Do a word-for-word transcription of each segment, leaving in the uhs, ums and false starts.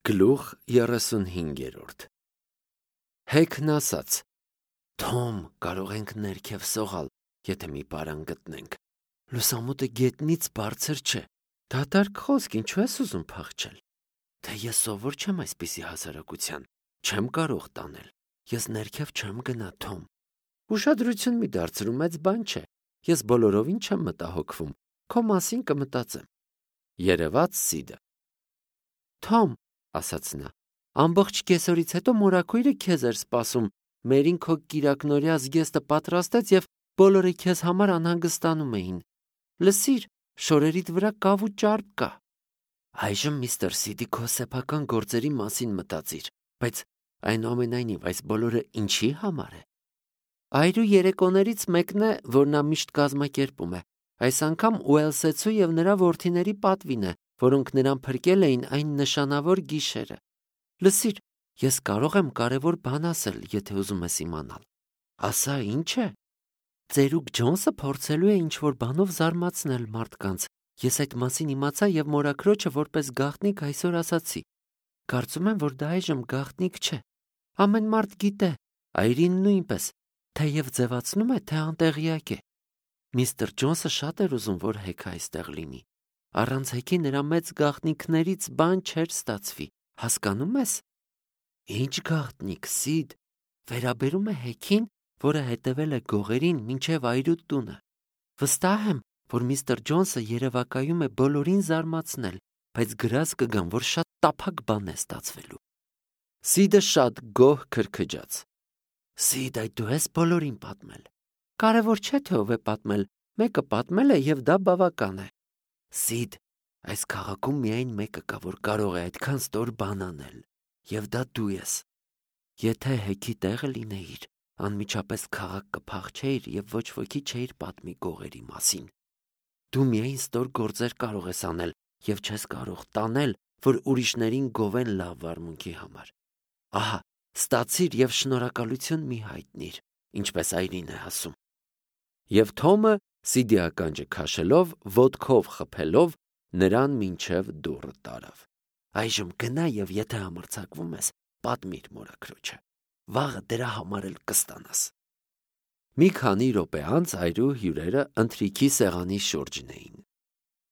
Գլուխ երեսունհինգերորդ Հեքն ասաց. Թոմ, կարող ենք ներքև սողալ, եթե մի պարան գտնենք։ Լուսամուտը գետնից բարձր չէ։ Դատարկ խոսք, ինչու ես ուզում փախչել։ Թե ես սովոր չեմ այսպիսի հասարակության, չեմ կարող տանել։ Ես ներքև չեմ գնա, Թոմ։ Ուշադրություն մի դարձրու, մեծ բան չէ։ Ես բոլորովին չեմ մտահոգվում, քո մասին կմտածեմ։ Երևաց Սիդը։ Թոմ, ասաց նա, ամբողջ կեսօրից հետո մորաքույրը քեզ էր սպասում, մերին քո կիրակնօրյա զգեստը պատրաստեց և բոլորը քեզ համար անհանգստանում էին։ Լսիր, շորերիդ վրա կավ ու ճարպ կա։ Այժմ միստր Սիդի քո սեփական գործերի մասին մտածիր, բայց այնուամենայնիվ այս բոլորը ինչի համար է։ Այրու երեկոներից մեկն է, որ նա միշտ կազմակերպում է։ Այս անգամ Ուելսեցու և նրա որդիների պատվին է, որոնք նրան փրկել էին այն նշանավոր գիշերը։ Լսիր, ես կարող եմ կարևոր բան ասել, եթե ուզում ես իմանալ։ Ասա, ինչ է։ Ծերուկ Ջոնսը փորձելու է ինչ-որ բանով զարմացնել մարդկանց։ Ես այդ մասին իմացա և մորաքրոջը որպես գաղտնիք այսօր ասացի։ Կարծում եմ, որ դա այժմ գաղտնիք չէ։ Ամեն մարդ գիտե, այրին նույնպես, թեև ձևացնում է, թե անտեղյակ է։ Միստր Ջոնսը շատ էր ուզում, որ Հեքը այստեղ լինի։ Առանց Հեքի նրա մեծ գաղտնիքներից բան չէր ստացվի, հասկանում ես։ Ինչ գաղտնիք, Սիդ, վերաբերում է Հեքին, որը հետևել է գողերին մինչև այրու տունը։ Վստահ եմ, որ միստր Ջոնսը երևակայում է բոլորին զարմացնել, բայց գրած կգամ, որ շատ տափակ բան է ստացվելու։ Սիդը շատ գոհ քրքջաց։ Սիդ, այդ դու ես բոլորին պատմել։ Կարևոր չէ, թե ով է պատմել, մեկը պատմել է և դա բավական է։ Սիդ, այս քաղաքում միայն մեկը կա, որ կարող է այդքան ստոր բան անել, և դա դու ես։ Եթե Հեքի տեղը լինեիր, անմիջապես քաղաք կփախչեիր և ոչ ոքի չէիր պատմի գողերի մասին։ Դու միայն ստոր գործեր կարող ես անել և չես կարող տանել, որ ուրիշներին գովեն լավ վարմունքի համար։ Ահա, ստացիր և շնորհակալություն մի հայտնիր, ինչպես այրին է ասում։ Եվ Թոմը, Սիդի ականջը քաշելով, ոտքով խփելով, նրան մինչև դուռը տարավ։ Այժմ գնա և եթե համարձակվում ես, պատմիր մորաքրոջը։ Վաղը դրա համար էլ կստանաս։ Մի քանի րոպե անց այրու հյուրերը ընթրիքի սեղանի շուրջն էին։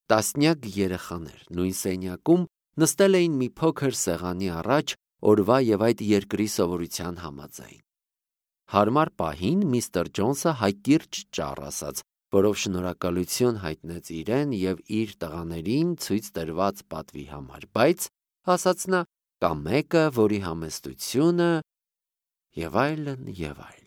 Տասնյակ երեխաներ նույն սենյակում նստել էին մի փոքր սեղանի առաջ օրվա և այդ երկրի սովորության համաձայն։ Հարմար պահին միստր Ջոնսը հայկիրճ ճառ ասաց, որով շնորհակալություն հայտնեց իրեն և իր տղաներին ցույց տրված պատվի համար, բայց, ասաց նա, կա մեկը, որի համեստությունը և այլն, և այլն։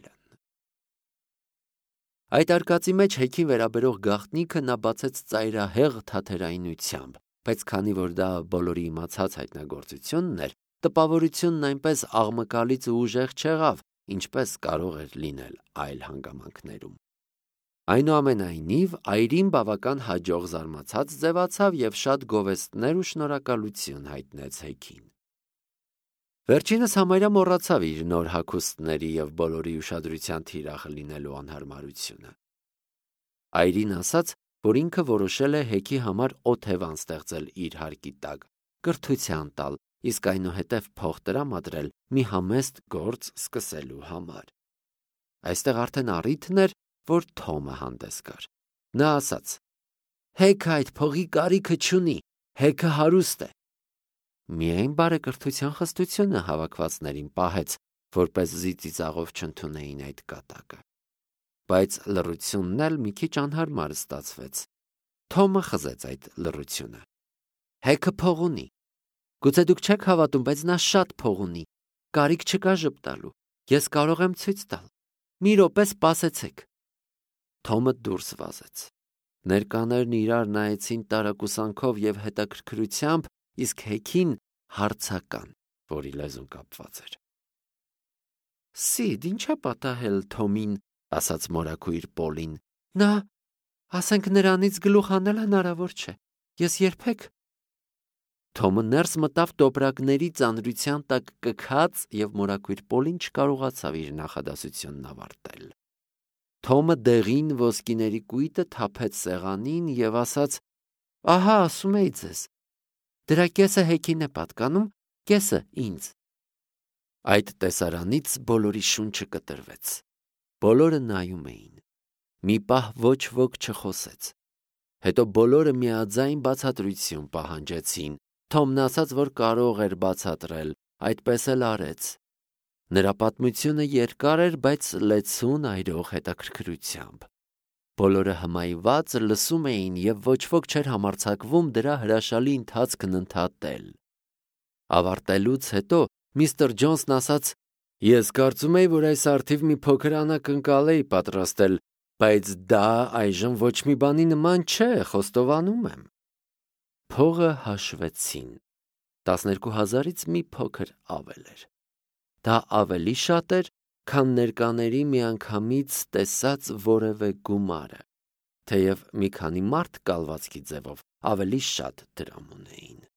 Այդ արկածի մեջ Հեքին վերաբերող գաղտնիքը նա բացեց ծայրահեղ թատերայնությամբ, բայց քանի որ դա բոլորի իմացած հայտնագործությունն էր, տպավորությունն այնպես աղմկալից ու ուժեղ չեղավ, ինչպես կարող էր լինել այլ հանգամանքներում։ Այնուամենայնիվ, այրին բավական հաջող զարմացած ձևացավ և շատ գովեստներ ու շնորհակալություն հայտնեց Հեքին։ Վերջինս համարյա մոռացավ իր նոր հագուստների և բոլորի ուշադրության թիրախը լինելու անհարմարությունը։ Այրին ասաց, որ ինքը որոշել է Հեքի համար օթևան ստեղծել իր հարկի տակ, կրթության տալ, իսկ այնուհետև փող տրամադրել մի համեստ գործ սկսելու համար։ Այստեղ արդեն առիթն էր, որ Թոմը հանդես գար։ Նա ասաց. Հեքը այդ փողի կարիքը չունի, Հեքը հարուստ է։ Միայն բարեկրթության խստությունը հավաքվածներին պահեց, որպեսզի ծիծաղով չընդունեին այդ կատակը։ Բայց լռությունն էլ մի քիչ անհարմար ստացվեց։ Թոմը խզեց այդ լռությունը։ Հեքը փող ունի։ Գուցե դուք չեք հավատում, բայց նա շատ փող ունի։ Կարիք չկա ժպտալու։ Ես կարող եմ ցույց տալ։ Մի րոպե սպասեցեք։ Թոմը դուրս վազեց։ Ներկաներն իրար նայեցին տարակուսանքով և հետաքրքրությամբ, իսկ Հեքին հարցական, որի լեզուն կապված էր։ Սիդ, ի՞նչ է պատահել Թոմին, ասաց մորաքույր Պոլին։ Նա, ասենք նրանից գլուխ հանել հնարավոր չէ։ Ես երբեք… Թոմը ներս մտավ տոպրակների ծանրության տակ կքած և մորաքույր Պոլին չկարողացավ իր նախադասությունն ավարտել։ Թոմը դեղին ոսկիների կույտը թափեց սեղանին և ասաց. Ահա, ասում էի ձեզ, դրա կեսը Հեքին է պատկանում, կեսը ինձ։ Այդ տեսարանից բոլորի շունչը կտրվեց։ Բոլորը նայում էին։ Մի պահ ոչ ոք չխոսեց։ Հետո բոլորը միաձայն բացատրություն պահանջեցին։ Թոմն ասաց, որ կարող էր բացատրել, այդպես էլ արեց։ Նրա պատմությունը երկար էր, բայց լեցուն այրող հետաքրքրությամբ։ Բոլորը հմայված լսում էին և ոչ ոք չէր համարձակվում դրա հրաշալի ընթացքն ընդհատել։ Ավարտելուց հետո միստր Ջոնսն ասաց. «Ես կարծում էի, որ այս առթիվ մի փոքր անակնկալ էի պատրաստել, բայց դա այժմ ոչ մի բանի նման չէ, խոստովանում եմ»։ Փողը հաշվեցին։ տասներկու հազարից մի փոքր ավել էր։ Դա ավելի շատ էր, քան ներկաների միանգամից տեսած որևէ գումարը, թեև մի քանի մարդ կալվածքի ձևով ավելի շատ դրամ ունեին։